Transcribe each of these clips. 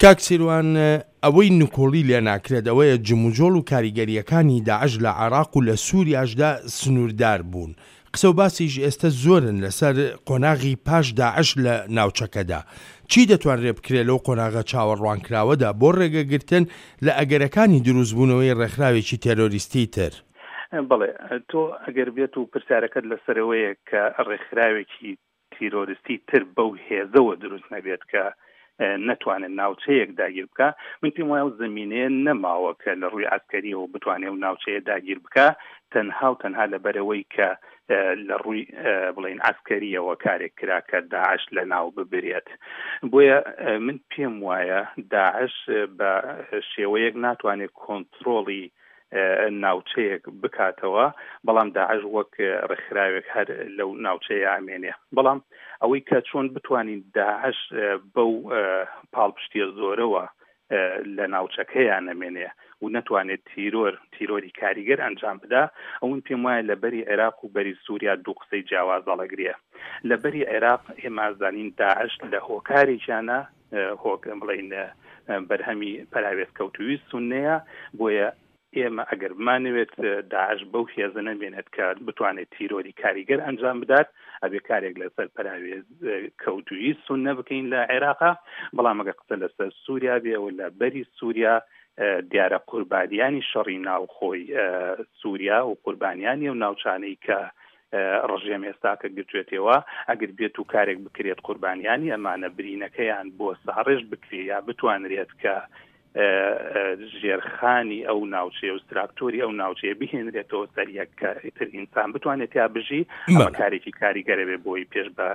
کاک سیروان ئەوەی نکۆڵی لێ ناکرێت ئەوەیە جموجۆڵ و کاریگەرییەکانی داعش لە عێراق و لە سوریاشدا سنووردار بوون. قسە و باسیش ئێستە زۆرن لەسەر قۆناغی پاش داعش لە ناوچەکەدا. چی دەتوانرێت بکرێت لەو قۆناغە چاوەڕوانکراوەدا بۆ ڕێگەگرتن لە ئەگەرەکانی دروستبوونەوەی ڕێکخراوێکی تێرۆریستی تر؟ بەڵێ، تۆ ئەگەر بێت و پرسیارەکەت لەسەرەوەیە کە ڕێکخراوێکی تیرۆرستی تر بەو هێزەوە دروست نەبێت کە نەتوانێت ناوچەیەک داگیر بکا، من پێم وایە ئەو زەمینەیە نەماوە کە لە ڕووی عەسکەریەوە بتوانێت ئەو ناوچەیە داگیر بکا، تەنها و تەنها لەبەرئەوەی کە لە ڕووی بڵێین عەسکەریەوە کارێک کرا کە داعش لەناو ببرێت. بۆیە من پێم وایە داعش بە شێوەیەک ناتوانێت کۆنترۆڵی ناوچەیەک بکاتەوە، بەڵام داعش وەک ڕێکخراوێک هەر لەو ناوچەیە ئەمێنێ. بەڵام ئەوەی کە چۆن بتوانین داعش بەو پاڵپشتیە زۆرەوە لە ناوچەکەیا نەمێنێ و نەتوانێت تیرۆر تیرۆری کاریگەر ئەنجام بدا، ئەو من پێم وایە لە بەری عێراق و بەری سووریا دوو قسەی جیاواز هەڵەگرێ. لە بەری عێراق ئێمە ئەزانین داعش لە هۆکارێکیانە هۆک بڵێین بەرهەمی پەراوێزکەوتووی سوننەیە، بۆیە ئێمە ئەگەر بمانەوێت داعش بەو هێزە نەمێنێت کە بتوانێت تیرۆری کاریگەر ئەنجام بدات، ئەبێ کارێک لەسەر پەراوێزکەوتووی سوننە بکەین لە عێراقا، بەڵام ئەگەر قسە لەسەر سووریا بێ و لە بەری سووریا دیارە قوربانیانی شەڕی ناوخۆی سووریا و قوربانیانی ئەو ناوچانەی کە ڕژێم ئێستاکە گرتوێتێوە ئەگر بێت و کارێک بکرێت قوربانیانی ئەمانە برینەکەیان بۆ ساڕێژ بکرێ یا بتوانرێت کە ژێرخانی ئەو ناوچەیە و ستراکتۆری ئەو ناوچەیە بهێنرێتەوە سەر یەک کە ئیتر ئینسان بتوانێت تیا بژی ئەمە کارێکی کاریگەرە بێ بۆی پێش بە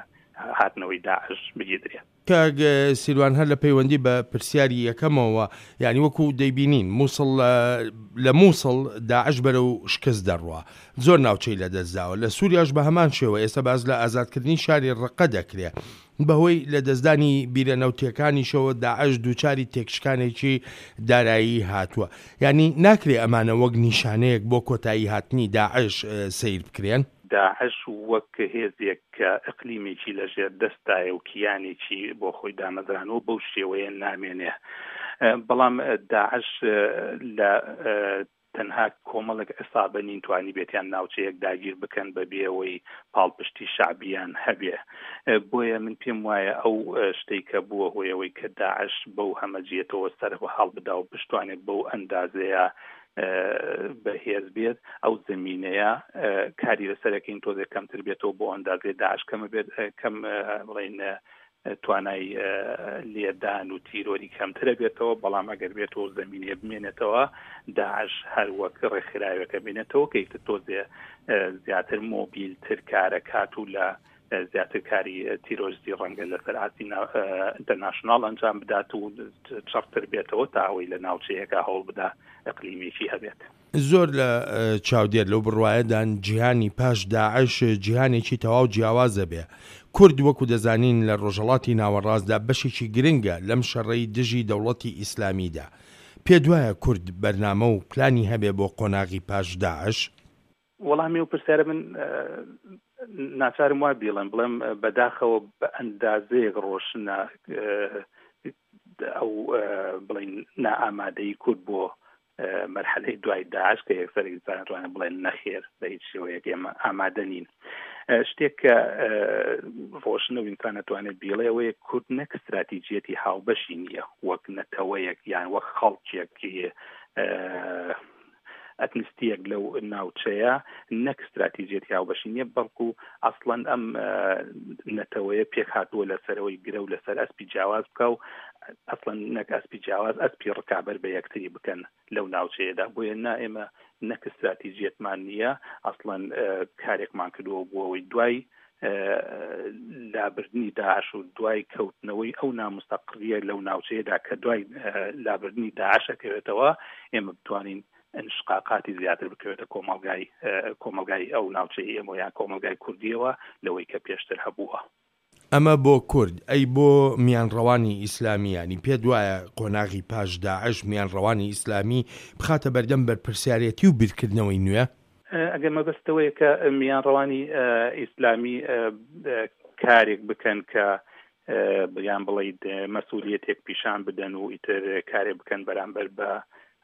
هاتنەوەی داعش بگیدرێت. کاک سیروان هەر لە پەیوەندی بە پرسیاری یەکەمەوە یانی وەکو دەیبینین موسڵ لە موسڵ داعش بەرەو شکست دەڕوا زۆر ناوچەی لەدەستداوە لە سوریاش بە هەمان شێوە ئێستا باس لە ئازادکردنی شاری ڕقە دەکرێ بەهۆی لەدەستدانی بیرە نەوتیەکانیشەوە داعش دووچاری تێکشکانێکی دارایی هاتووە یانی ناکرێ ئەمانە وەک نیشانەیەک بۆ کۆتایی هاتنی داعش سەیر بکرێن؟ داعش وەک هێزێک کە ئیقلیمێکی لە ژێر دەستدایە و کیانێکی بۆ خۆی دامەزرانووە بەو شێوەیە نامێنێ. بەڵام داعش لە تەنها کۆمەڵێک عیسابە نین توانیبێتیان ناوچەیەک داگیر بکەن بە بێ ئەوەی پاڵپشتی شەعبیان هەبێ. بۆیە من پێم وایە ئەو شتەی کە بووە هۆی ئەوەی کە داعش بەو هەمەجیەتەوە سەر هەڵبدا و بشتوانێت بەو ئەندازەیە بەهێز بێت ئەو زمینەیە کاری لەسەرەکەین تۆزێک کەمتر بێتەوە بۆ ئەندازێ داعش کەمە بێت کەم بڵین توانای لێدان و تیرۆری کەمترە بێتەوە بەڵام ئەگەر بێتەوە زمینەیە بمێنێتەوە داعش هەر وەک ڕێکخراوێکە بینێتەوە کە ئیتر تۆزێ زیاتر مۆبیلتر کارەکات و لە زیاتر کاری تیرۆریستی ڕەنگە لەسەر ئاستی ئینتەرناشناڵ ئەنجام بدات و چڕتر بێتەوە تا ئەوەی لە ناوچەیەکە هەوڵ بدا ئەقلیمێکی هەبێت. زۆر لە چاودێر لەو بڕوایەدان جیهانی پاش داعش جیهانێکی تەواو جیاواز دەبێ. کورد وەکو دەزانین لە ڕۆژهەڵاتی ناوەڕاستدا بەشێکی گرنگە لەم شەڕەی دژی دەوڵەتی ئیسلامیدا. پێتوایە کورد بەرنامە و پلانی هەبێ بۆ قۆناغی پاش داعش؟ وەڵامی ئەو پرسیارە من ناچارم وا بیڵێم بڵێم بەداخەوە بە ئەندازەیەک ڕۆشنە ئەو بڵین نائامادەی کورد بۆ مەرحەلەی دوای داعش کە یەکسەر ئینسان توانێت بڵێن نەخێر بە هیچ شێوەیەک ئێمە ئامادە نین شتێک کە ڕۆشنە و ئینسان ئەتوانێت بیڵێ ئەوەیە کورد نەک استراتیجیەتی هاوبەشی نییە وەک نەتەوەیەک یان وەک خەڵکێک ئەتنیستییەک لەو ناوچەیە نەک ستراتیجیەتی هاوبەشی نییە، بەڵکو ئەسڵەن ئەم نەتەوەیە پێکهاتووە لەسەرەوەی گرەو لەسەر ئەسپی جیاواز بکا و ئەسڵەن نەک ئەسپی جیاواز ئەسپی ڕکابەر بە یەکتری بکەن لەو ناوچەیەدا بۆیە نا ئێمە نەک ستراتیجیەتمان نییە ئەسڵەن کارێکمان کردووە بۆ ئەوەی دوای لابردنی داعش و دوای کەوتنەوەی ئەو نامستەقڕیە لەو ناوچەیەدا کە دوای لابردنی داعش ئەکەوێتەوە ئێمە بتوانین انشقاقاتی زیاتر بکەوێتە کۆمەڵگای کۆمەڵگای ئەو ناوچەی ئێمە یان کۆمەڵگای کوردیەوە لەوەی کە پێشتر هەبووە. ئەمە بۆ کورد، ئەی بۆ میانڕەوانی ئیسلامی یانی پێت وایە قۆناغی پاش داعش میانڕەوانی ئیسلامی بخاتە بەردەم بەرپرسیارێتی و بیرکردنەوەی نوێ؟ ئەگەر مەبەست ئەوەیە کە میانڕەوانی ئیسلامی کارێک بکەن کە یان بڵیت مەسئولیەتێک پیشان بدەن و ئیتر کارێ بکەن بەرامبەر بە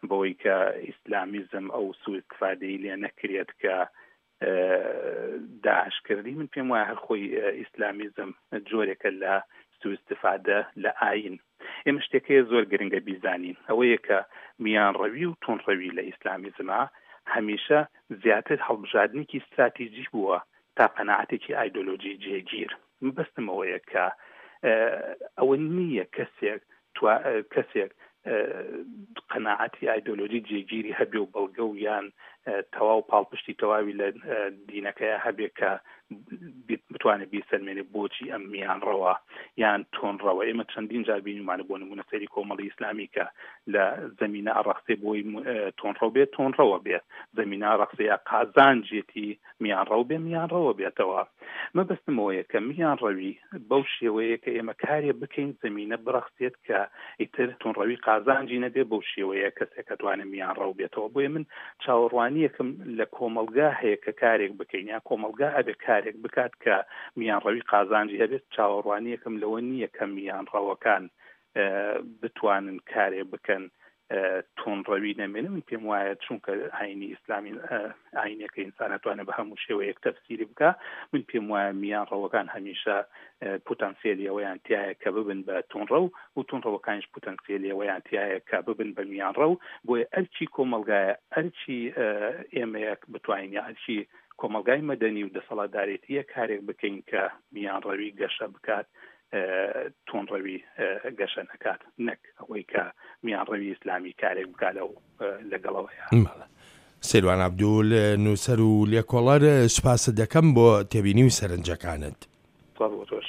بەوەی کە ئیسلامیزم ئەو سوئیستفادەی لێ نەکرێت کە داعش کردی. من پێم وایە هەر خۆی ئیسلامیزم جۆرێکە لە سوئیستفادە لە ئاین. ئێمە شتێک هەیە زۆر گرنگە بیزانین، ئەوەیە کە میانڕەوی و توندڕەوی لە ئیسلامیزما هەمیشە زیاتر هەڵبژاردنێکی ستراتیجی بووە تا قەناعەتێکی ئایدۆلۆجی جێگیر. مەبەستم ئەوەیە کە ئەوە نییە کەسێک کەسێک قەناعەتی ئایدۆلۆجی جێگیری هەبێ و بەڵگە و یان تەواو پاڵپشتی تەواوی لە دینەکەی هەبێ کە بتوانێت بیسەلمێنێ بۆچی ئەم میانڕەوە یان تۆنڕەوە. ئێمە چەندین جار بینیمانە، بۆ نمونە سەیری کۆمەڵی ئیسلامی کە لە زەمینە ئەڕەخسێ بۆی تۆنڕەو بێت تۆنڕەوە بێت، زەمینە ئەڕەخسێ یا قازانجێتی میانڕەو بێ میانڕەوە بێتەوە. مەبەستم ئەوەیە کە میانڕەوی بەو شێوەیە کە ئێمە کارێ بکەین زەمینە بڕەخسێت کە ئیتر توندڕەوی قازانجی نەبێ، بەو شێوەیە کەسێک ئەتوانێ میانڕەو بێتەوە. بۆیە من چاوەڕوانییەکم لە کۆمەڵگا هەیە کە کارێک بکەین یا کۆمەڵگا ئەبێ کارێک بکات کە میانڕەوی قازانجی هەبێت. چاوەڕوانییەکم لەوە نییە کە میانڕەوەکان بتوانن کارێ بکەن توندڕەوی نەمێنێ. من پێم وایە چونکە ئاینی ئیسلامی ئاینێکە ئینسان ئەتوانێت بە هەموو شێوەیەک تەفسیری بکا، من پێم وایە میانڕەوەکان هەمیشە پوتانسیێلی ئەوەیان تایە کە ببن بە توندڕەو و توندڕەوەکانیش پوتانسیێلی ئەوەیان تایە کە ببن بە میانڕەو. بۆیە ئەرکی کۆمەڵگایە، ئەرکی ئێمەیە بتوانین یا ئەرکی کۆمەڵگای مەدەنی و دەسەڵاتدارێتیە کارێک بکەین کە میانڕەوی گەشە بکات، توندڕەوی گەشە نەکات، نەک ئەوەی کە میانڕەوی ئیسلامی کارێک بکات لەو لەگەڵەوەیە. سیروان عەبدول، نووسەر و لێکۆڵەر، سوپاست دەکەم بۆ تێبینی و سەرنجەکانت. سڵاو بۆ تۆش.